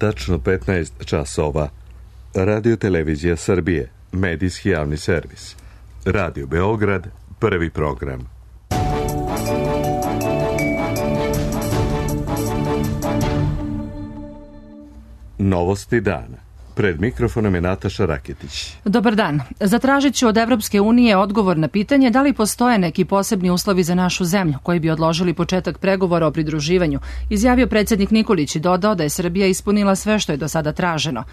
tačno 15 časova. Radio Televizija Srbije, medijski javni servis. Radio Beograd, prvi program. Novosti dana. Pred mikrofonom je Nataša Raketić. Dobar dan. Zatražit ću od Evropske unije odgovor na pitanje da li postoje neki posebni uslovi za našu zemlju koji bi odložili početak pregovora o pridruživanju, izjavio predsjednik Nikolić i dodao da je Srbija ispunila sve što je do sada traženo.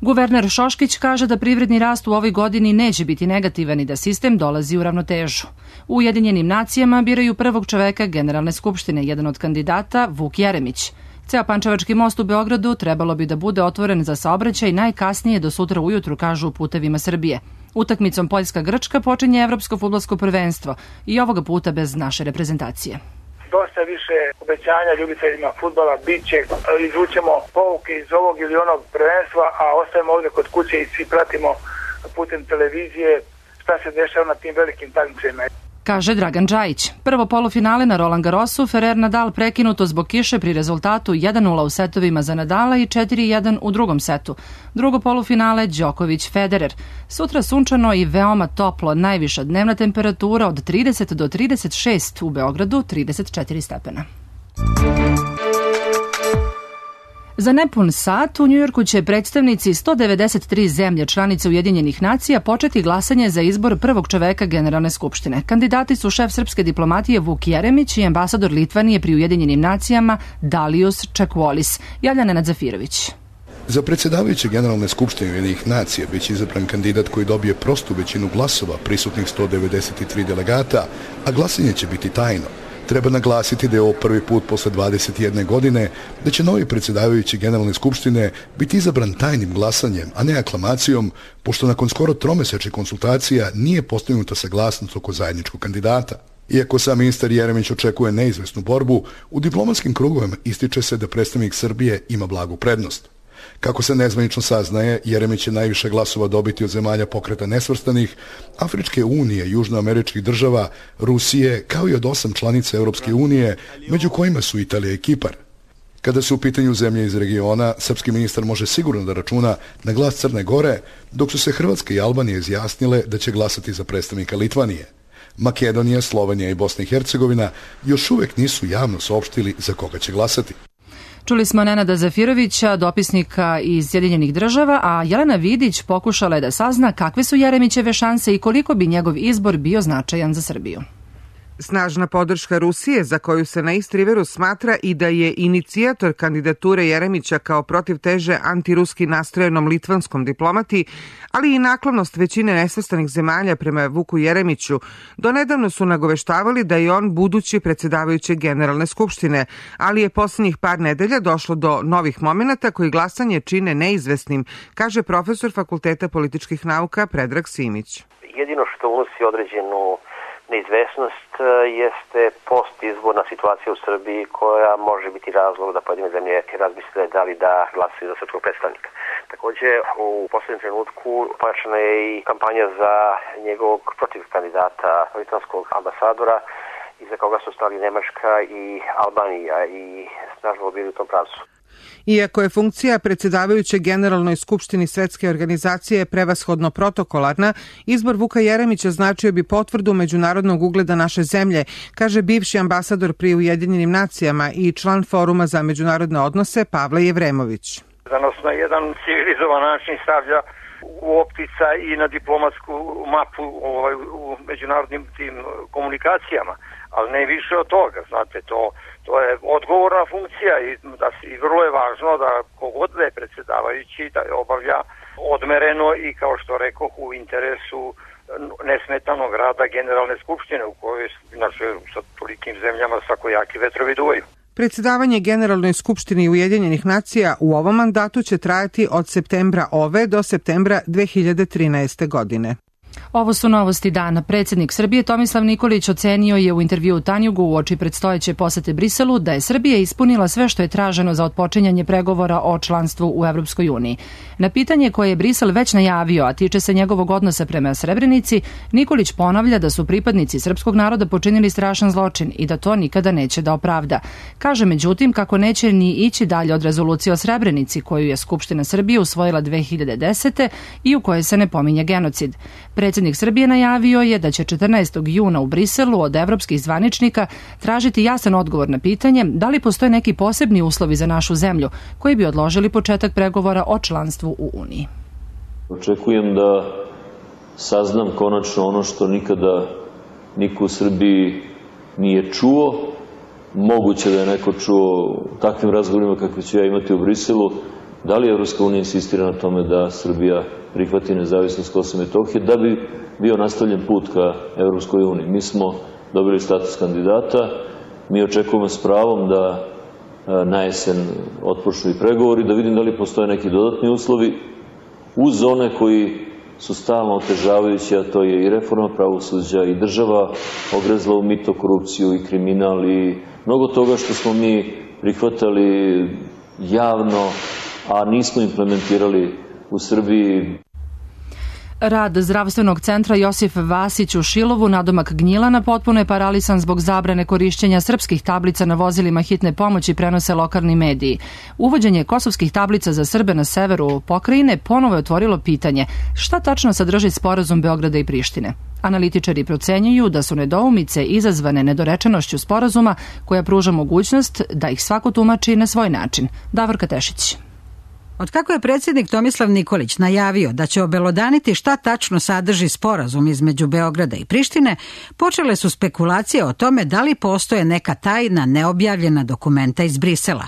Guverner Šoškić kaže da privredni rast u ovoj godini neće biti negativan i da sistem dolazi u ravnotežu. U Ujedinjenim nacijama biraju prvog čoveka Generalne skupštine, jedan od kandidata Vuk Jeremić. Ceo Pančevački most u Beogradu trebalo bi da bude otvoren za saobraćaj najkasnije do sutra ujutru, kažu u Putevima Srbije. Utakmicom Poljska-Grčka počinje Evropsko fudbalsko prvenstvo i ovoga puta bez naše reprezentacije. Dosta više obećanja ljubiteljima fudbala, bit će, izvučemo pouke iz ovog ili onog prvenstva, a ostajemo ovdje kod kuće i svi pratimo putem televizije šta se dešava na tim velikim takmičenjima. Kaže Dragan Džajić. Prvo polufinale na Roland Garrosu, Ferrer Nadal prekinuto zbog kiše pri rezultatu 1-0 u setovima za Nadala i 4-1 u drugom setu. Drugo polufinale Đoković Federer. Sutra sunčano i veoma toplo, najviša dnevna temperatura od 30 do 36, u Beogradu 34 stepena. Za nepun sat u Njujorku će predstavnici 193 zemlje članice Ujedinjenih nacija početi glasanje za izbor prvog čoveka Generalne skupštine. Kandidati su šef srpske diplomatije Vuk Jeremić i ambasador Litvanije pri Ujedinjenim nacijama Dalius Čekvolis. Javlja Nenad Zafirović. Za predsjedavajuće Generalne skupštine Ujedinjenih nacija biće izabran kandidat koji dobije prostu većinu glasova prisutnih 193 delegata, a glasanje će biti tajno. Treba naglasiti da je ovo prvi put posle 21 godine da će novi predsjedavajući Generalne skupštine biti izabran tajnim glasanjem, a ne aklamacijom, pošto nakon skoro tromesečnih konsultacija nije postignuta saglasnost oko zajedničkog kandidata. Iako sam ministar Jeremić očekuje neizvesnu borbu, u diplomatskim krugovima ističe se da predstavnik Srbije ima blagu prednost. Kako se nezvanično saznaje, Jeremić će najviše glasova dobiti od zemalja pokreta nesvrstanih, Afričke unije, južnoameričkih država, Rusije, kao i od 8 članica Europske unije, među kojima su Italija i Kipar. Kada su u pitanju zemlje iz regiona, srpski ministar može sigurno da računa na glas Crne Gore, dok su se Hrvatska i Albanija izjasnile da će glasati za predstavnika Litvanije. Makedonija, Slovenija i Bosna i Hercegovina još uvek nisu javno saopštili za koga će glasati. Čuli smo Nenada Zafirovića, dopisnika iz Sjedinjenih država, a Jelena Vidić pokušala je da sazna kakve su Jeremićeve šanse i koliko bi njegov izbor bio značajan za Srbiju. Snažna podrška Rusije, za koju se na East Riveru smatra i da je inicijator kandidature Jeremića kao protivteže antiruski nastrojenom litvanskom diplomati, ali i naklonost većine nesvrstanih zemalja prema Vuku Jeremiću, donedavno su nagoveštavali da je on budući predsjedavajući Generalne skupštine, ali je posljednjih par nedelja došlo do novih momenata koji glasanje čine neizvesnim, kaže profesor Fakulteta političkih nauka Predrag Simić. Jedino što unosi određenu neizvesnost jeste postizborna situacija u Srbiji koja može biti razlog da pojedine zemlje razmisle da li da glasaju za srpskog predstavnika. Također, u posljednjem trenutku počela je i kampanja za njegovog protiv kandidata litvanskog ambasadora iza koga su stali Nemačka i Albanija i snažno bili u tom pravcu. Iako je funkcija predsjedavajuće Generalnoj skupštini Svetske organizacije prevashodno protokolarna, izbor Vuka Jeremića značio bi potvrdu međunarodnog ugleda naše zemlje, kaže bivši ambasador pri Ujedinjenim nacijama i član Foruma za međunarodne odnose Pavle Jevremović. Da nas na jedan civilizovan način stavlja u optica i na diplomatsku mapu u međunarodnim tim komunikacijama, ali ne više od toga, znate, to je odgovorna funkcija i vrlo je važno da kogod da je predsjedavajući da je obavlja odmereno i kao što rekoh u interesu nesmetanog rada Generalne skupštine u kojoj znači, sa tolikim zemljama svakojaki vetrovi duvaju. Predsjedavanje Generalnoj skupštini Ujedinjenih nacija u ovom mandatu će trajati od septembra ove do septembra 2013. godine. Ovo su novosti dana. Predsjednik Srbije Tomislav Nikolić ocenio je u intervjuu Tanjugu uoči predstojeće posete Briselu da je Srbija ispunila sve što je traženo za otpočinjanje pregovora o članstvu u Evropskoj uniji. Na pitanje koje je Brisel već najavio, a tiče se njegovog odnosa prema Srebrenici, Nikolić ponavlja da su pripadnici srpskog naroda počinili strašan zločin i da to nikada neće da opravda. Kaže međutim kako neće ni ići dalje od rezolucije o Srebrenici koju je Skupština Srbije usvojila 2010. i u kojoj se ne pominje genocid. Predsjednik Srbije najavio je da će 14. juna u Briselu od evropskih zvaničnika tražiti jasan odgovor na pitanje da li postoje neki posebni uslovi za našu zemlju koji bi odložili početak pregovora o članstvu u Uniji. Očekujem da saznam konačno ono što nikada niko u Srbiji nije čuo. Moguće da je neko čuo u takvim razgovorima kakve ću ja imati u Briselu. Da li Evropska unija insistira na tome da Srbija prihvati nezavisnost Kosova i Metohije da bi bio nastavljen put ka Evropskoj uniji. Mi smo dobili status kandidata, mi očekujemo s pravom da na jesen otpočnu i pregovori, da vidim da li postoje neki dodatni uslovi uz one koji su stalno otežavajući, a to je i reforma pravosuđa i država ogrezla u mito, korupciju i kriminal i mnogo toga što smo mi prihvatali javno, a nismo implementirali u Srbiji. Rad zdravstvenog centra Josif Vasić u Šilovu, nadomak Gnjilana, potpuno je paralisan zbog zabrane korišćenja srpskih tablica na vozilima hitne pomoći, prenose lokalni mediji. Uvođenje kosovskih tablica za Srbe na severu pokrajine ponovo je otvorilo pitanje šta tačno sadrži sporazum Beograda i Prištine. Analitičari procenjuju da su nedoumice izazvane nedorečenošću sporazuma koja pruža mogućnost da ih svako tumači na svoj način. Davorka Tešić. Otkako je predsjednik Tomislav Nikolić najavio da će obelodaniti šta tačno sadrži sporazum između Beograda i Prištine, počele su spekulacije o tome da li postoje neka tajna neobjavljena dokumenta iz Brisela.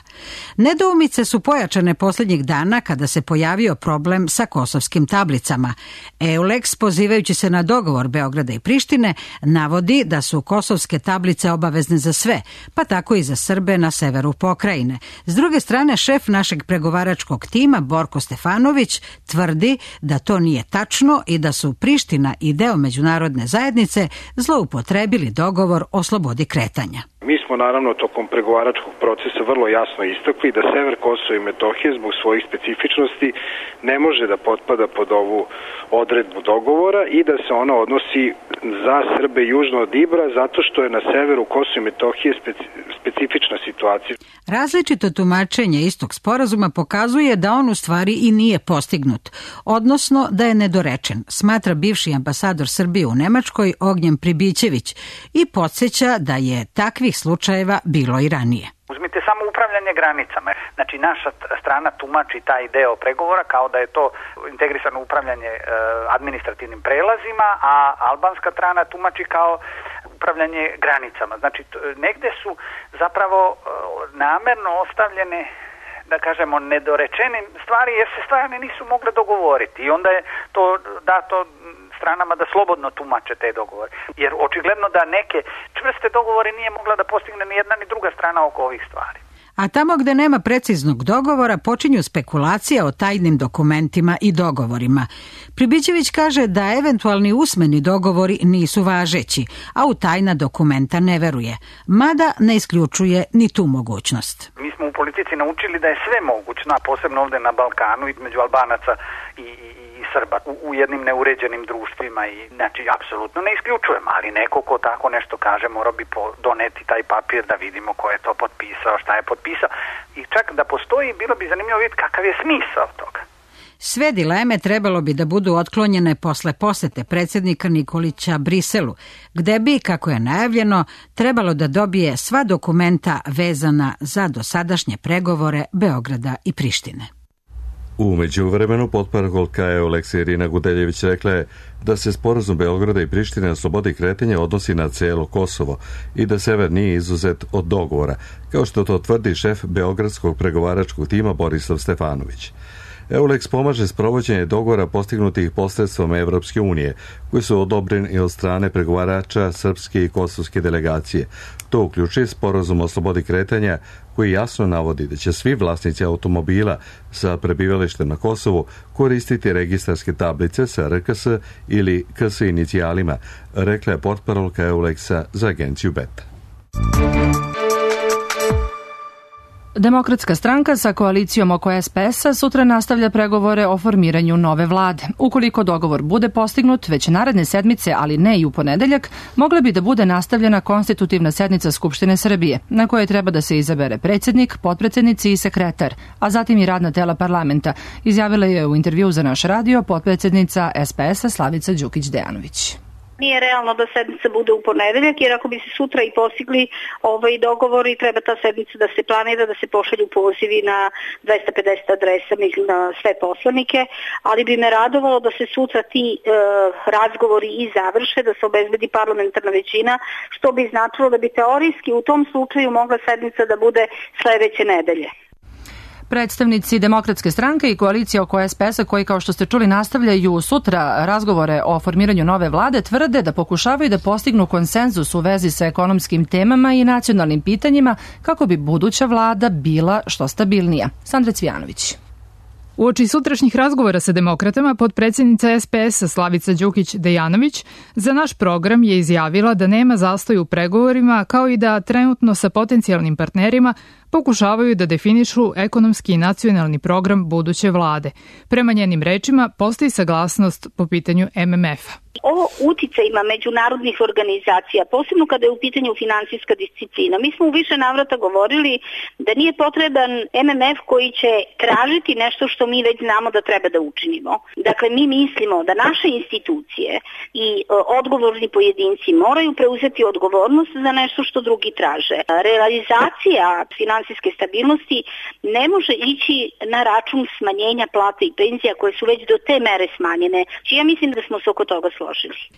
Nedoumice su pojačane posljednjih dana kada se pojavio problem sa kosovskim tablicama. EULEX, pozivajući se na dogovor Beograda i Prištine, navodi da su kosovske tablice obavezne za sve, pa tako i za Srbe na severu pokrajine. S druge strane, šef našeg pregovaračkog tima Borko Stefanović tvrdi da to nije tačno i da su Priština i deo međunarodne zajednice zloupotrebili dogovor o slobodi kretanja. Mi smo naravno tokom pregovaračkog procesa vrlo jasno istakli da sever Kosova i Metohije zbog svojih specifičnosti ne može da potpada pod ovu odredbu dogovora i da se ona odnosi za Srbe južno od Ibra zato što je na severu Kosova i Metohije specifična situacija. Različito tumačenje istog sporazuma pokazuje da on u stvari i nije postignut, odnosno da je nedorečen, smatra bivši ambasador Srbije u Nemačkoj Ognjen Pribićević i podsjeća da je takvih slučajeva bilo i ranije. Uzmite samo upravljanje granicama. Znači, naša strana tumači taj deo pregovora kao da je to integrisano upravljanje administrativnim prelazima, a albanska strana tumači kao upravljanje granicama. Znači, negde su zapravo namerno ostavljene, da kažemo, nedorečene stvari jer se stvari nisu mogle dogovoriti i onda je to dato stranama da slobodno tumače te dogovore. Jer očigledno da neke čvrste dogovore nije mogla da postigne ni jedna ni druga strana oko ovih stvari. A tamo gde nema preciznog dogovora počinju spekulacije o tajnim dokumentima i dogovorima. Pribićević kaže da eventualni usmeni dogovori nisu važeći, a u tajna dokumenta ne veruje, mada ne isključuje ni tu mogućnost. Mi smo u politici naučili da je sve mogućno, a posebno ovde na Balkanu između Albanaca i Srba u jednim neuređenim društvima i znači apsolutno ne isključujem, ali neko ko tako nešto kaže mora bi doneti taj papir da vidimo ko je to potpisao, šta je potpisao i čak da postoji bilo bi zanimljivo vidjeti kakav je smisao toga. Sve dileme trebalo bi da budu otklonjene posle posete predsjednika Nikolića Briselu, gde bi, kako je najavljeno, trebalo da dobije sva dokumenta vezana za dosadašnje pregovore Beograda i Prištine. U međuvremenu potparolka EULEX Irina Gudeljević rekla je da se sporazum Beograda i Prištine na slobodi kretanja odnosi na cijelo Kosovo i da sever nije izuzet od dogovora, kao što to tvrdi šef beogradskog pregovaračkog tima Borislav Stefanović. EULEX pomaže sprovođenje dogovora postignutih posredstvom Evropske unije, koji su odobreni od strane pregovarača srpske i kosovske delegacije. To uključuje sporazum o slobodi kretanja koji jasno navodi da će svi vlasnici automobila sa prebivalištem na Kosovu koristiti registarske tablice sa RKS ili KS inicijalima, rekla je portparolka EULEX-a za agenciju BETA. Demokratska stranka sa koalicijom oko SPS-a sutra nastavlja pregovore o formiranju nove vlade. Ukoliko dogovor bude postignut već naredne sedmice, ali ne i u ponedeljak, mogla bi da bude nastavljena konstitutivna sednica Skupštine Srbije, na kojoj treba da se izabere predsjednik, potpredsjednici i sekretar, a zatim i radna tela parlamenta, izjavila je u intervju za naš radio potpredsjednica SPS-a Slavica Đukić-Dejanović. Nije realno da sednica bude u ponedeljak, jer ako bi se sutra i postigli dogovori, treba ta sednica da se planira, da se pošalju pozivi na 250 adresa, mislim na sve poslanike, ali bi me radovalo da se sutra ti razgovori i završe, da se obezbedi parlamentarna većina, što bi značilo da bi teorijski u tom slučaju mogla sednica da bude sledeće nedelje. Predstavnici Demokratske stranke i koalicije oko SPS-a, koji kao što ste čuli nastavljaju sutra razgovore o formiranju nove vlade, tvrde da pokušavaju da postignu konsenzus u vezi sa ekonomskim temama i nacionalnim pitanjima kako bi buduća vlada bila što stabilnija. Sandra Cvijanović. Uoči sutrašnjih razgovora sa demokratama, potpredsjednica SPS-a Slavica Đukić-Dejanović za naš program je izjavila da nema zastoj u pregovorima, kao i da trenutno sa potencijalnim partnerima pokušavaju da definišu ekonomski i nacionalni program buduće vlade. Prema njenim rečima, postoji saglasnost po pitanju MMF-a. O uticajima međunarodnih organizacija, posebno kada je u pitanju finansijska disciplina. Mi smo u više navrata govorili da nije potreban MMF koji će tražiti nešto što mi već znamo da treba da učinimo. Dakle, mi mislimo da naše institucije i odgovorni pojedinci moraju preuzeti odgovornost za nešto što drugi traže. Realizacija finansijske stabilnosti ne može ići na račun smanjenja plata i penzija koje su već do te mere smanjene. Ja mislim da smo se oko toga složili.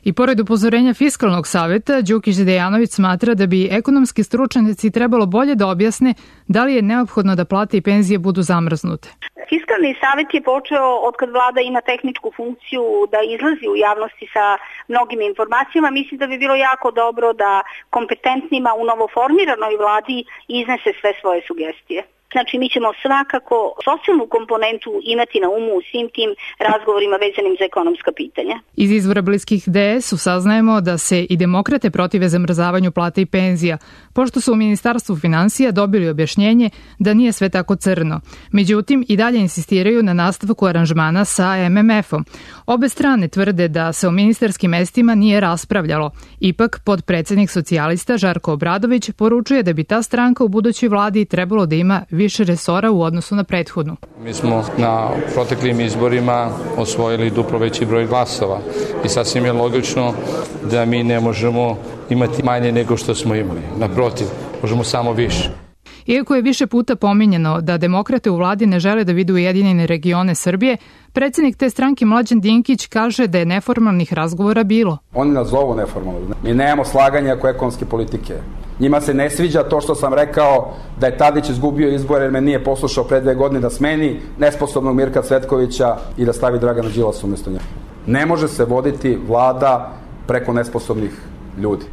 I pored upozorenja Fiskalnog saveta, Đukić-Dejanović smatra da bi ekonomski stručnjaci trebalo bolje da objasne da li je neophodno da plate i penzije budu zamrznute. Fiskalni savet je počeo od kad vlada ima tehničku funkciju da izlazi u javnosti sa mnogim informacijama. Mislim da bi bilo jako dobro da kompetentnima u novoformiranoj vladi iznese sve svoje sugestije. Znači, mi ćemo svakako socijalnu komponentu imati na umu u svim tim razgovorima vezanim za ekonomska pitanja. Iz izvora bliskih DS-u saznajemo da se i demokrate protive zamrzavanju plata i penzija, pošto su u Ministarstvu finansija dobili objašnjenje da nije sve tako crno. Međutim, i dalje insistiraju na nastavku aranžmana sa MMF-om. Obe strane tvrde da se o ministarskim mestima nije raspravljalo. Ipak, podpredsednik socijalista Žarko Obradović poručuje da bi ta stranka u budućoj vladi trebalo da ima više resora u odnosu na prethodnu. Mi smo na proteklim izborima osvojili duplo veći broj glasova i sasvim je logično da mi ne možemo imati manje nego što smo imali. Naprotiv, možemo samo više. Iako je više puta pominjeno da demokrate u vladi ne žele da vide ujedinjene regione Srbije, predsjednik te stranke Mlađan Dinkić kaže da je neformalnih razgovora bilo. Oni nas zovu neformalno. Mi nemamo slaganja oko ekonomske politike. Njima se ne sviđa to što sam rekao da je Tadić izgubio izbore jer me nije poslušao pre 2 godine da smeni nesposobnog Mirka Cvetkovića i da stavi Dragana Đilasa umjesto njega. Ne može se voditi vlada preko nesposobnih ljudi.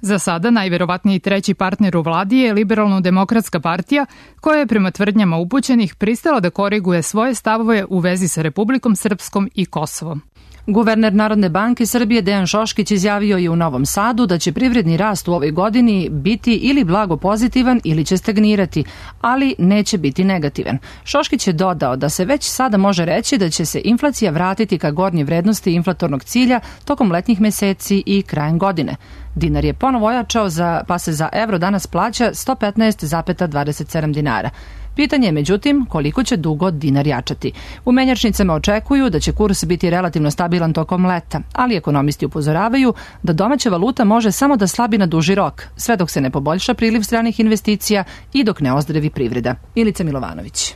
Za sada najverovatniji treći partner u vladi je Liberalno-demokratska partija, koja je prema tvrdnjama upućenih pristala da koriguje svoje stavove u vezi sa Republikom Srpskom i Kosovom. Guverner Narodne banke Srbije Dejan Šoškić izjavio je u Novom Sadu da će privredni rast u ovoj godini biti ili blago pozitivan ili će stagnirati, ali neće biti negativan. Šoškić je dodao da se već sada može reći da će se inflacija vratiti ka gornje vrednosti inflatornog cilja tokom letnjih meseci i krajem godine. Dinar je ponovo ojačao pa se za evro danas plaća 115,27 dinara. Pitanje je, međutim, koliko će dugo dinar jačati. U menjačnicama očekuju da će kurs biti relativno stabilan tokom leta, ali ekonomisti upozoravaju da domaća valuta može samo da slabi na duži rok, sve dok se ne poboljša priliv stranih investicija i dok ne ozdravi privreda. Milica Milovanović.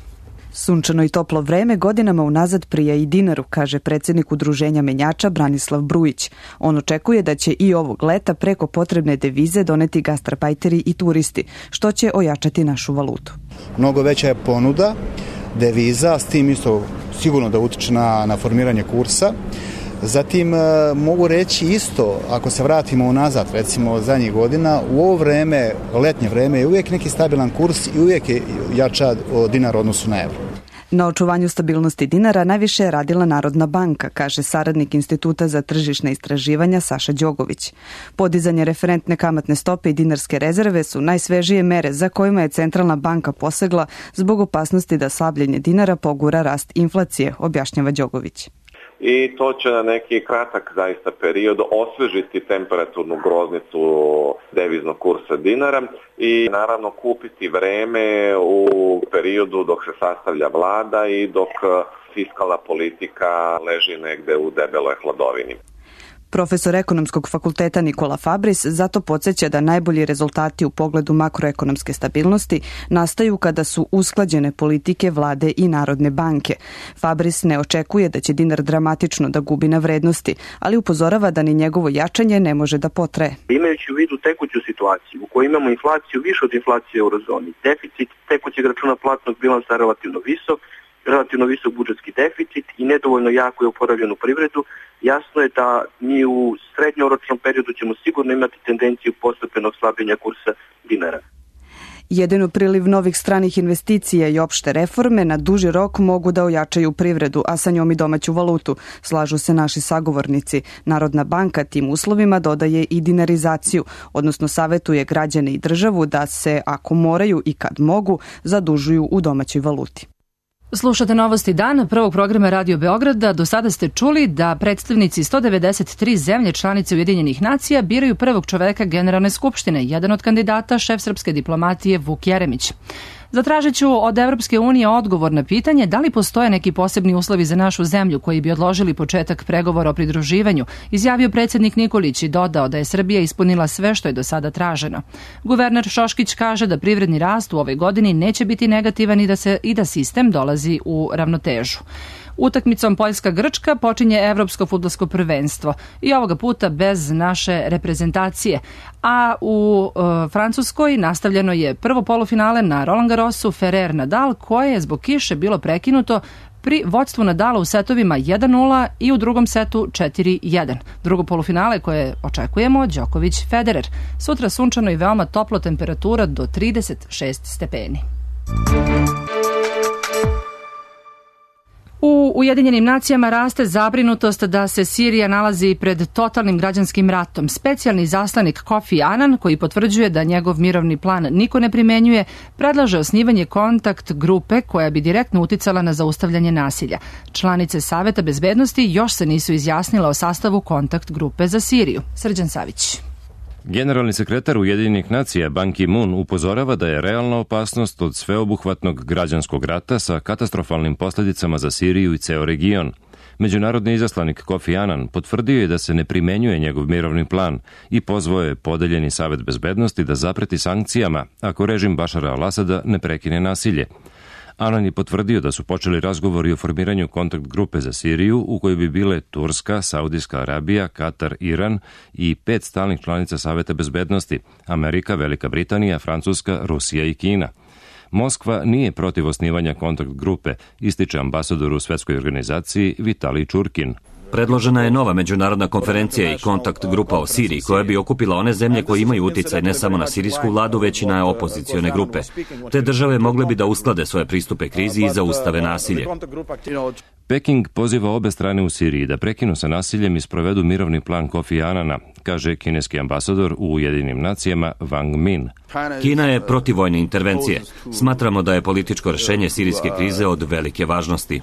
Sunčano i toplo vreme godinama unazad prija i dinaru, kaže predsjednik Udruženja menjača Branislav Brujić. On očekuje da će i ovog leta preko potrebne devize doneti gastarbajteri i turisti, što će ojačati našu valutu. Mnogo veća je ponuda deviza, s tim isto sigurno da utiče na formiranje kursa. Zatim mogu reći isto, ako se vratimo unazad, recimo zadnjih godina, u ovo vreme, letnje vreme, je uvijek neki stabilan kurs i uvijek je jača dinar u odnosu na evro. Na očuvanju stabilnosti dinara najviše je radila Narodna banka, kaže saradnik Instituta za tržišne istraživanja Saša Đogović. Podizanje referentne kamatne stope i dinarske rezerve su najsvežije mere za kojima je centralna banka posegla zbog opasnosti da slabljenje dinara pogura rast inflacije, objašnjava Đogović. I to će na neki kratak zaista period osvežiti temperaturnu groznicu deviznog kursa dinara i naravno kupiti vreme u periodu dok se sastavlja vlada i dok fiskalna politika leži negde u debeloj hladovini. Profesor ekonomskog fakulteta Nikola Fabris zato podsjeća da najbolji rezultati u pogledu makroekonomske stabilnosti nastaju kada su usklađene politike vlade i Narodne banke. Fabris ne očekuje da će dinar dramatično da gubi na vrednosti, ali upozorava da ni njegovo jačanje ne može da potraje. Imajući u vidu tekuću situaciju u kojoj imamo inflaciju više od inflacije u eurozoni, deficit tekućeg računa platnog bilansa relativno visok budžetski deficit i nedovoljno jako je oporavljenu privredu, jasno je da mi u srednjoročnom periodu ćemo sigurno imati tendenciju postepenog slabljenja kursa dinara. Jedino priliv novih stranih investicija i opšte reforme na duži rok mogu da ojačaju privredu, a sa njom i domaću valutu, slažu se naši sagovornici. Narodna banka tim uslovima dodaje i dinarizaciju, odnosno savetuje građane i državu da se, ako moraju i kad mogu, zadužuju u domaćoj valuti. Slušate Novosti dana prvog programa Radio Beograda. Do sada ste čuli da predstavnici 193 zemlje članice Ujedinjenih nacija biraju prvog čoveka Generalne skupštine. Jedan od kandidata, šef srpske diplomatije Vuk Jeremić. Zatražit ću od Evropske unije odgovor na pitanje da li postoje neki posebni uslovi za našu zemlju koji bi odložili početak pregovora o pridruživanju, izjavio predsjednik Nikolić i dodao da je Srbija ispunila sve što je do sada traženo. Guverner Šoškić kaže da privredni rast u ovoj godini neće biti negativan i da sistem dolazi u ravnotežu. Utakmicom Poljska-Grčka počinje Evropsko fudbalsko prvenstvo i ovoga puta bez naše reprezentacije. A u Francuskoj nastavljeno je prvo polufinale na Roland Garrosu Ferrer Nadal, koje je zbog kiše bilo prekinuto pri vođstvu Nadala u setovima 1-0 i u drugom setu 4-1. Drugo polufinale koje očekujemo, Đoković-Federer. Sutra sunčano i veoma toplo, temperatura do 36 stepeni. U Ujedinjenim nacijama raste zabrinutost da se Sirija nalazi pred totalnim građanskim ratom. Specijalni izaslanik Kofi Annan, koji potvrđuje da njegov mirovni plan niko ne primenjuje, predlaže osnivanje kontakt grupe koja bi direktno uticala na zaustavljanje nasilja. Članice Saveta bezbednosti još se nisu izjasnile o sastavu kontakt grupe za Siriju. Srđan Savić. Generalni sekretar Ujedinjenih nacija Ban Ki-moon upozorava da je realna opasnost od sveobuhvatnog građanskog rata sa katastrofalnim posljedicama za Siriju i ceo region. Međunarodni izaslanik Kofi Annan potvrdio je da se ne primenjuje njegov mirovni plan i pozvao je podeljeni Savet bezbednosti da zapreti sankcijama ako režim Bašara al-Asada ne prekine nasilje. Annan je potvrdio da su počeli razgovori o formiranju kontakt grupe za Siriju u kojoj bi bile Turska, Saudijska Arabija, Katar, Iran i 5 stalnih članica Saveta bezbednosti, Amerika, Velika Britanija, Francuska, Rusija i Kina. Moskva nije protiv osnivanja kontakt grupe, ističe ambasador u svetskoj organizaciji Vitalij Čurkin. Predložena je nova međunarodna konferencija i kontakt grupa o Siriji koja bi okupila one zemlje koje imaju uticaj ne samo na sirijsku vladu, već i na opozicione grupe. Te države mogle bi da usklade svoje pristupe krizi i zaustave nasilje. Peking poziva obe strane u Siriji da prekinu sa nasiljem i sprovedu mirovni plan Kofi Annana, kaže kineski ambasador u Ujedinjenim nacijama Wang Min. Kina je protiv vojne intervencije. Smatramo da je političko rešenje sirijske krize od velike važnosti.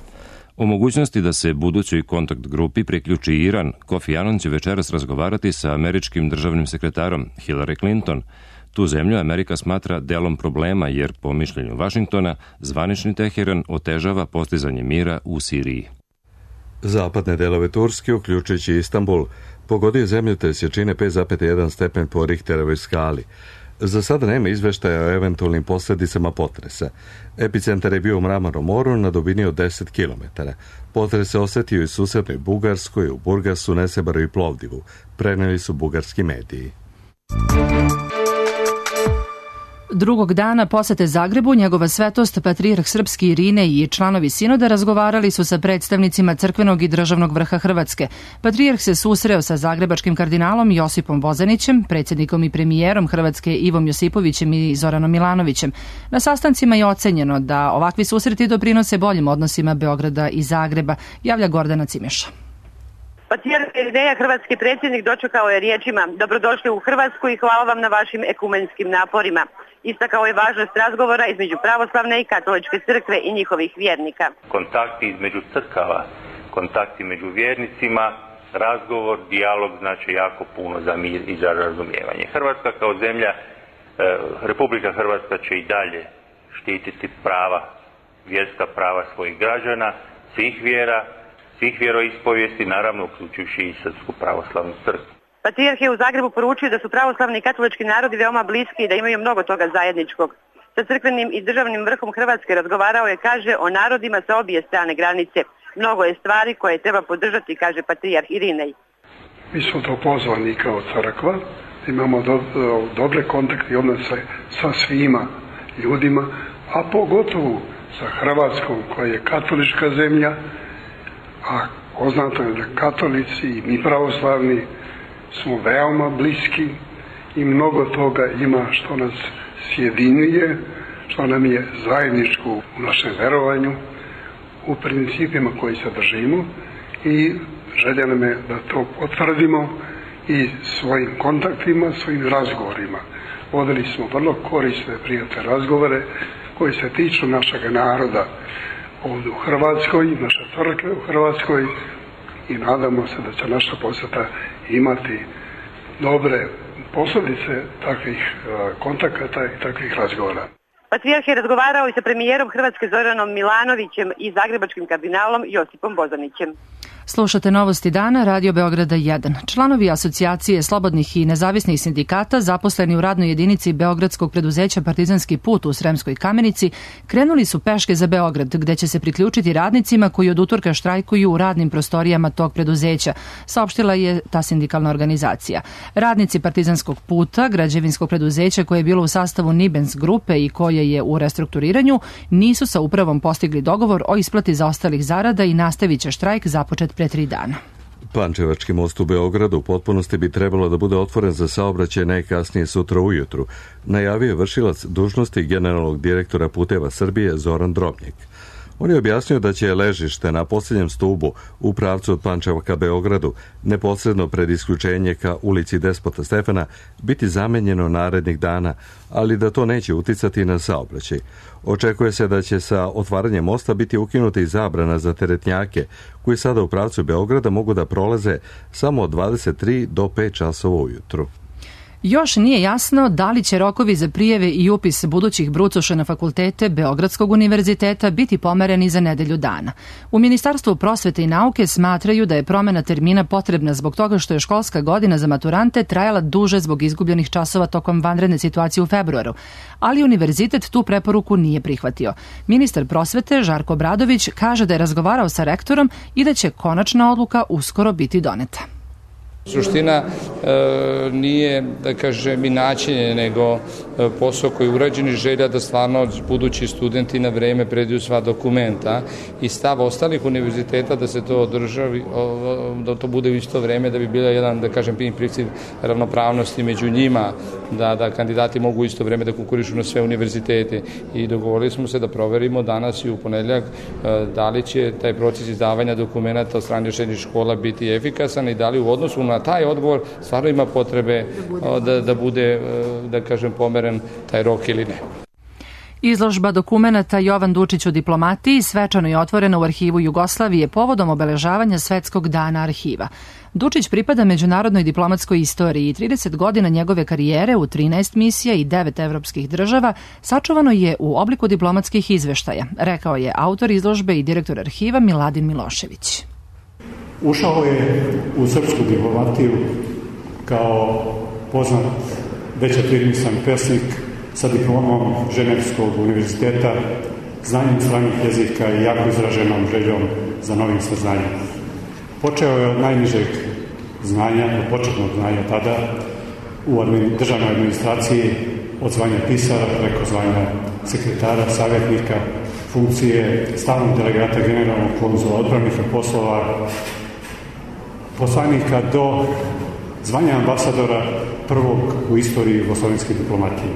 O mogućnosti da se budućoj kontakt grupi priključi Iran, Kofi Annan će večeras razgovarati sa američkim državnim sekretarom Hillary Clinton. Tu zemlju Amerika smatra delom problema jer, po mišljenju Vašingtona, zvanični Teheran otežava postizanje mira u Siriji. Zapadne delove Turske, uključujući Istanbul, pogodio zemljotres jačine 5,1 stepen po Richterovoj skali. Za sada nema izveštaja o eventualnim posljedicama potresa. Epicentar je bio u Mramornom moru na dubini od 10 km. Potres se osetio i u susednoj Bugarskoj, u Burgasu, Nesebaru i Plovdivu, preneli su bugarski mediji. Drugog dana posete Zagrebu njegova svetost patrijarh srpski Irinej i članovi sinoda razgovarali su sa predstavnicima crkvenog i državnog vrha Hrvatske. Patrijarh se susreo sa zagrebačkim kardinalom Josipom Bozanićem, predsjednikom i premijerom Hrvatske Ivom Josipovićem i Zoranom Milanovićem. Na sastancima je ocenjeno da ovakvi susreti doprinose boljim odnosima Beograda i Zagreba, javlja Gordana Cimeša. Patrijarh Irinej, hrvatski predsjednik, dočekao je riječima: dobrodošli u Hrvatsku i hvala vam na vašim ekumenskim naporima. Istakao je važnost razgovora između pravoslavne i katoličke crkve i njihovih vjernika. Kontakti između crkava, kontakti među vjernicima, razgovor, dijalog znači jako puno za mir i za razumijevanje. Hrvatska kao zemlja, Republika Hrvatska će i dalje štititi prava, vjerska prava svojih građana, svih vjera, svih vjeroispovijesti, naravno uključujući i Srpsku pravoslavnu crkvu. Patrijarh je u Zagrebu poručio da su pravoslavni i katolički narodi veoma bliski i da imaju mnogo toga zajedničkog. Sa crkvenim i državnim vrhom Hrvatske razgovarao je, kaže, o narodima sa obje strane granice. Mnogo je stvari koje treba podržati, kaže patrijarh Irinej. Mi smo to pozvani kao crkva, imamo dobre kontakte i odnose sa svima ljudima, a pogotovo sa Hrvatskom koja je katolička zemlja, a poznato je da katolici i mi pravoslavni smo veoma bliski i mnogo toga ima što nas sjedinjuje, što nam je zajedničko u našem verovanju, u principima koji se držimo, i želja nam je da to potvrdimo i svojim kontaktima, svojim razgovorima. Vodili smo vrlo korisne, prijatne razgovore koji se tiču našeg naroda ovdje u Hrvatskoj, naše crkve u Hrvatskoj, i nadamo se da će naša posjeta imati dobre posljedice takvih kontakata i takvih razgovora. Patrijarh je razgovarao i sa premijerom Hrvatske Zoranom Milanovićem i zagrebačkim kardinalom Josipom Bozanićem. Slušate Novosti dana, Radio Beograda 1. Članovi Asocijacije slobodnih i nezavisnih sindikata, zaposleni u radnoj jedinici beogradskog preduzeća Partizanski put u Sremskoj Kamenici, krenuli su peške za Beograd, gde će se priključiti radnicima koji od utorka štrajkuju u radnim prostorijama tog preduzeća, saopštila je ta sindikalna organizacija. Radnici Partizanskog puta, građevinskog preduzeća koje je bilo u sastavu Nibens grupe i koje je u restrukturiranju, nisu sa upravom postigli dogovor o isplati zaostalih zarada i nastavit će štrajk započet pre 3 dana. Pančevački most u Beogradu u potpunosti bi trebalo da bude otvoren za saobraćaj najkasnije sutra ujutru, najavio je vršilac dužnosti generalnog direktora Puteva Srbije Zoran Drobnjak. On je objasnio da će ležište na posljednjem stubu u pravcu od Pančeva ka Beogradu, neposredno pred isključenje ka ulici Despota Stefana, biti zamenjeno narednih dana, ali da to neće uticati na saobraćaj. Očekuje se da će sa otvaranjem mosta biti ukinuta i zabrana za teretnjake, koji sada u pravcu Beograda mogu da prolaze samo od 23 do 5 časova ujutru. Još nije jasno da li će rokovi za prijeve i upis budućih brucoša na fakultete Beogradskog univerziteta biti pomereni za nedelju dana. U Ministarstvu prosvete i nauke smatraju da je promena termina potrebna zbog toga što je školska godina za maturante trajala duže zbog izgubljenih časova tokom vanredne situacije u februaru, ali univerzitet tu preporuku nije prihvatio. Ministar prosvete Žarko Obradović kaže da je razgovarao sa rektorom i da će konačna odluka uskoro biti doneta. Suština nije, da kažem, i načinje, nego posao koji je urađen i želja da stvarno budući studenti na vreme predaju sva dokumenta i stav ostalih univerziteta da se to održavi, da to bude u isto vreme, da bi bila jedan, da kažem, princip ravnopravnosti među njima, da kandidati mogu u isto vreme da konkurišu na sve univerzitete. I dogovorili smo se da proverimo danas i u ponedjeljak da li će taj proces izdavanja dokumenta od strane srednjih škola biti efikasan i da li u odnosu na taj odgovor stvarno ima potrebe da bude, da kažem, pomeren taj rok ili ne. Izložba dokumenata Jovan Dučić u diplomatiji svečano je otvorena u Arhivu Jugoslavije povodom obeležavanja Svetskog dana arhiva. Dučić pripada međunarodnoj diplomatskoj istoriji i 30 godina njegove karijere u 13 misija i 9 evropskih država sačuvano je u obliku diplomatskih izveštaja, rekao je autor izložbe i direktor arhiva Miladin Milošević. Ušao je u srpsku diplomatiju kao poznat već afirmisan pesnik sa diplomom Ženevskog univerziteta, znanjem stranih jezika i jako izraženom željom za novim saznanjem. Počeo je od najnižeg znanja, od početnog znanja tada u državnoj administraciji od zvanja pisara preko zvanja sekretara, savjetnika, funkcije stalnog delegata generalnog konzula, odpravnika poslova, poslanika do zvanja ambasadora prvog u istoriji jugoslovenske diplomatije.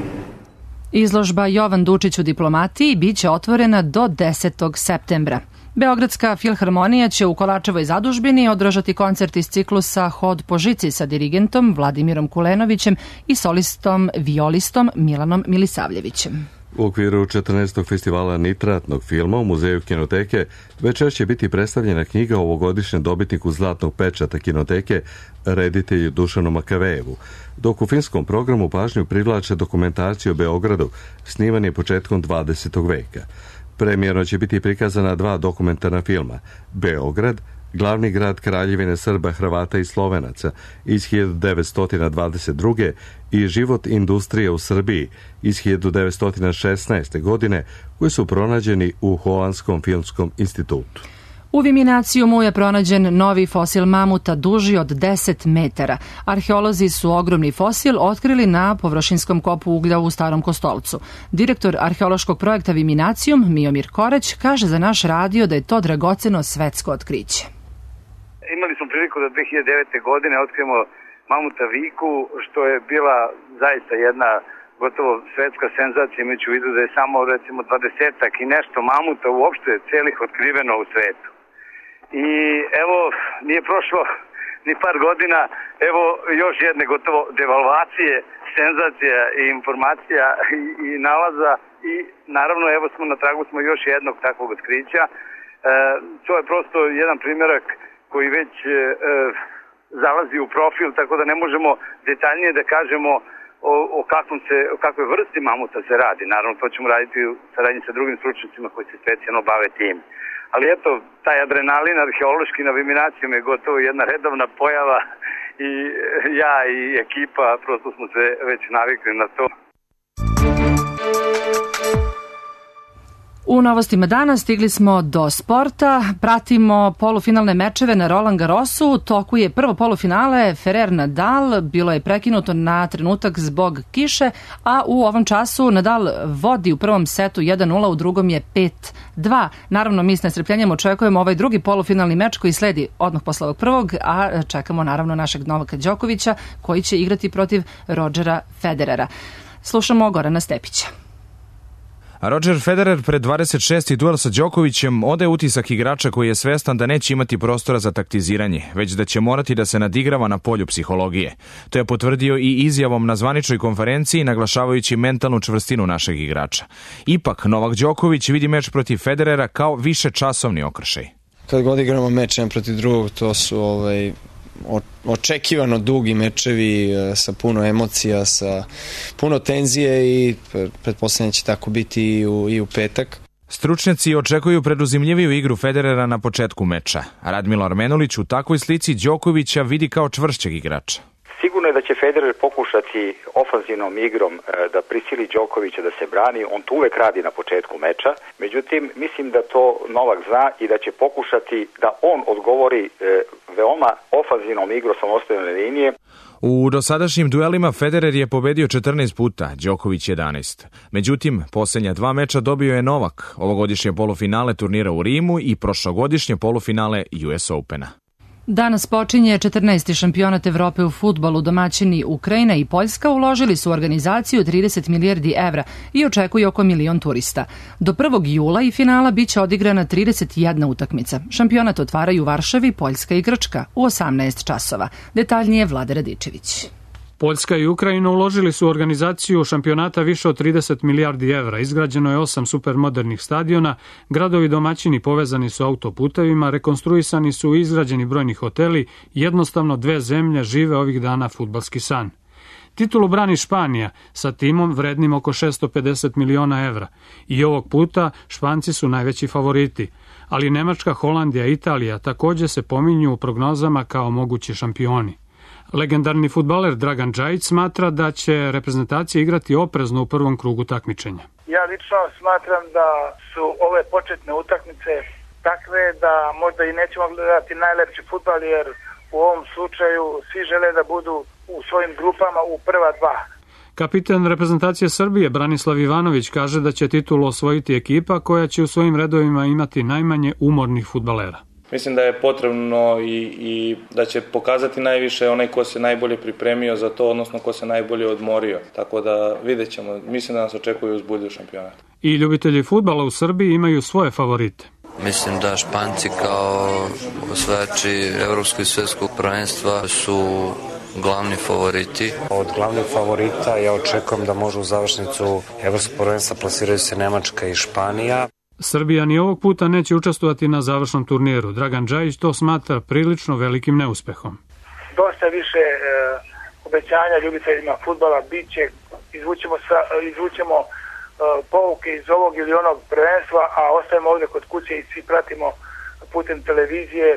Izložba Jovan Dučić u diplomatiji biće otvorena do 10. septembra. Beogradska filharmonija će u Kolarčevoj zadužbini održati koncert iz ciklusa Hod po žici sa dirigentom Vladimirom Kulenovićem i solistom violistom Milanom Milisavljevićem. U okviru 14. festivala nitratnog filma u Muzeju kinoteke večer će biti predstavljena knjiga o ovogodišnjem dobitniku Zlatnog pečata kinoteke, reditelju Dušanu Makavejevu, dok u filmskom programu pažnju privlače dokumentaciju o Beogradu, snimanje početkom 20. veka. Premijerno će biti prikazana 2 dokumentarna filma: Beograd, glavni grad Kraljevine Srba, Hrvata i Slovenaca iz 1922. i Život industrije u Srbiji iz 1916. godine, koji su pronađeni u Holandskom filmskom institutu. U Viminacijumu je pronađen novi fosil mamuta duži od 10 metara. Arheolozi su ogromni fosil otkrili na površinskom kopu uglja u Starom Kostolcu. Direktor arheološkog projekta Viminacijum, Miomir Koreć, kaže za naš radio da je to dragoceno svetsko otkriće. Imali smo priliku da 2009. godine otkrijemo mamuta Viku, što je bila zaista jedna gotovo svetska senzacija, imajući u vidu da je samo recimo 20-ak i nešto mamuta uopšte celih otkriveno u svetu. I evo, nije prošlo ni par godina, evo još jedne gotovo devalvacije, senzacija i informacija i nalaza i naravno evo smo na tragu smo još jednog takvog otkrića. To je prosto jedan primjerak koji već zalazi u profil, tako da ne možemo detaljnije da kažemo o kakvoj vrsti mamuta se radi. Naravno, to ćemo raditi u saradnji sa drugim stručnicima koji se specijalno bave tim. Ali eto, taj adrenalin arheološki na Viminacijom je gotovo jedna redovna pojava i ja i ekipa prosto smo se već navikli na to. U novostima dana stigli smo do sporta, pratimo polufinalne mečeve na Roland Garrosu. U toku je prvo polufinale Ferrer Nadal, bilo je prekinuto na trenutak zbog kiše, a u ovom času Nadal vodi u prvom setu 1-0, u drugom je 5-2. Naravno, mi s nestrpljenjem očekujemo ovaj drugi polufinalni meč koji sledi odmah posle ovog prvog, a čekamo naravno našeg Novaka Đokovića koji će igrati protiv Rodgera Federera. Slušamo Gorana Stepića. Roger Federer pred 26. duel sa Đokovićem odaje utisak igrača koji je svestan da neće imati prostora za taktiziranje, već da će morati da se nadigrava na polju psihologije. To je potvrdio i izjavom na zvaničnoj konferenciji, naglašavajući mentalnu čvrstinu našeg igrača. Ipak, Novak Đoković vidi meč protiv Federera kao višečasovni okršaj. Kad god igramo meč jedan protiv drugog, to su očekivano dugi mečevi sa puno emocija, sa puno tenzije i pretpostavljam će tako biti i u petak. Stručnjaci očekuju preduzimljiviju igru Federera na početku meča. Radmilo Armenulić u takvoj slici Đokovića vidi kao čvršćeg igrača. Sigurno je da će Federer pokušati ofanzivnom igrom da prisili Đokovića da se brani. On to uvek radi na početku meča. Međutim, mislim da to Novak zna i da će pokušati da on odgovori veoma ofanzivnom igrom samostalne linije. U dosadašnjim duelima Federer je pobedio 14 puta, Đoković 11. Međutim, posljednja 2 meča dobio je Novak, ovogodišnje polufinale turnira u Rimu i prošlogodišnje polufinale US Opena. Danas počinje 14. šampionat Evrope u fudbalu. Domaćini Ukrajina i Poljska uložili su u organizaciju 30 milijardi evra i očekuju oko 1.000.000 turista. Do 1. jula i finala biće odigrana 31 utakmica. Šampionat otvaraju u Varšavi, Poljska i Grčka u 18 časova. Detaljnije Vlada Radičević. Poljska i Ukrajina uložili su u organizaciju šampionata više od 30 milijardi evra. Izgrađeno je 8 supermodernih stadiona, gradovi domaćini povezani su autoputevima, rekonstruisani su i izgrađeni brojni hoteli, jednostavno 2 zemlje žive ovih dana fudbalski san. Titulu brani Španija sa timom vrednim oko 650 miliona evra i ovog puta Španci su najveći favoriti, ali Nemačka, Holandija i Italija također se pominju u prognozama kao mogući šampioni. Legendarni fudbaler Dragan Džajić smatra da će reprezentacija igrati oprezno u prvom krugu takmičenja. Ja lično smatram da su ove početne utakmice takve da možda i nećemo gledati najlepši fudbal, jer u ovom slučaju svi žele da budu u svojim grupama u prva 2. Kapitan reprezentacije Srbije Branislav Ivanović kaže da će titulu osvojiti ekipa koja će u svojim redovima imati najmanje umornih fudbalera. Mislim da je potrebno i da će pokazati najviše onaj ko se najbolje pripremio za to, odnosno ko se najbolje odmorio. Tako da vidjet ćemo. Mislim da nas očekuju uzbudljiv šampionat. I ljubitelji fudbala u Srbiji imaju svoje favorite. Mislim da Španci kao osvajači evropskog i svetskog prvenstva su glavni favoriti. Od glavnih favorita ja očekujem da može u završnicu evropskog prvenstva plasiraju se Nemačka i Španija. Srbija ni ovog puta neće učestvovati na završnom turniru. Dragan Džajić to smatra prilično velikim neuspehom. Dosta više obećanja ljubiteljima fudbala biće, izvućemo pouke iz ovog ili onog prvenstva, a ostajemo ovdje kod kuće i svi pratimo putem televizije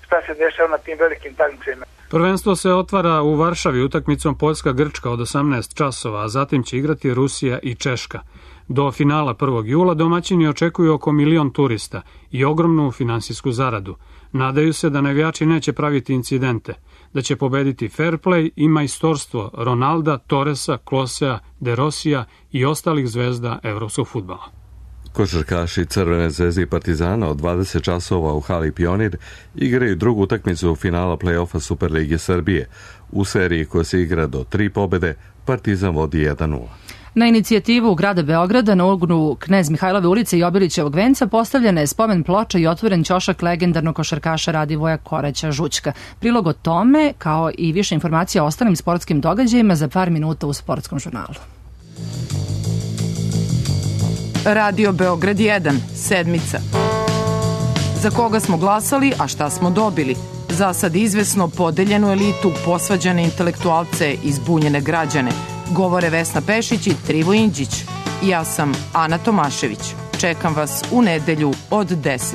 šta se dešava na tim velikim takmičenjima. Prvenstvo se otvara u Varšavi utakmicom Poljska-Grčka od 18 časova, a zatim će igrati Rusija i Češka. Do finala 1. jula domaćini očekuju oko 1 milion turista i ogromnu finansijsku zaradu. Nadaju se da navijači neće praviti incidente, da će pobediti fair play i majstorstvo Ronalda, Torresa, Klosea, De Rosija i ostalih zvezda evropskog fudbala. Košarkaši Crvene zvezde i Partizana od 20 časova u hali Pionir igraju drugu utakmicu finala play-offa Superlige Srbije. U seriji koja se igra do 3 pobede, Partizan vodi 1-0. Na inicijativu grada Beograda na uglu Knez Mihajlove ulice i Obilićevog venca postavljena je spomen ploča i otvoren ćošak legendarnog košarkaša Radivoja Koraća-Žućka. Prilog o tome, kao i više informacija o ostalim sportskim događajima za par minuta u Sportskom žurnalu. Radio Beograd 1, sedmica. Za koga smo glasali, a šta smo dobili? Za sad izvesno podeljenu elitu, posvađane intelektualce i zbunjene građane. Govore Vesna Pešić i Trivo Indžić. Ja sam Ana Tomašević. Čekam vas u nedelju od 10.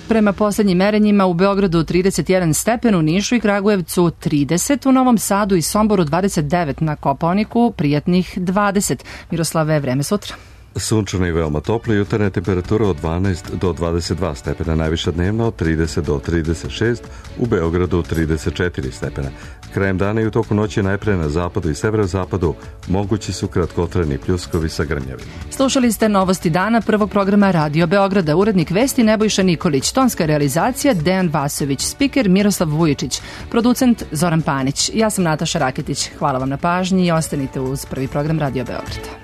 Prema poslednjim merenjima u Beogradu 31 stepen, u Nišu i Kragujevcu 30, u Novom Sadu i Somboru 29, na Kopaoniku prijatnih 20. Miroslave, vreme sutra. Sunčano i veoma toplo, jutarnja temperatura od 12 do 22 stepena, najviša dnevna od 30 do 36, u Beogradu 34 stepena. Krajem dana i u toku noći najpre na zapadu i severozapadu mogući su kratkotrajni pljuskovi sa grmljavima. Slušali ste novosti dana prvog programa Radio Beograda. Urednik vesti Nebojša Nikolić, tonska realizacija Dejan Vasović, spiker Miroslav Vujičić, producent Zoran Panić. Ja sam Nataša Raketić. Hvala vam na pažnji i ostanite uz prvi program Radio Beograda.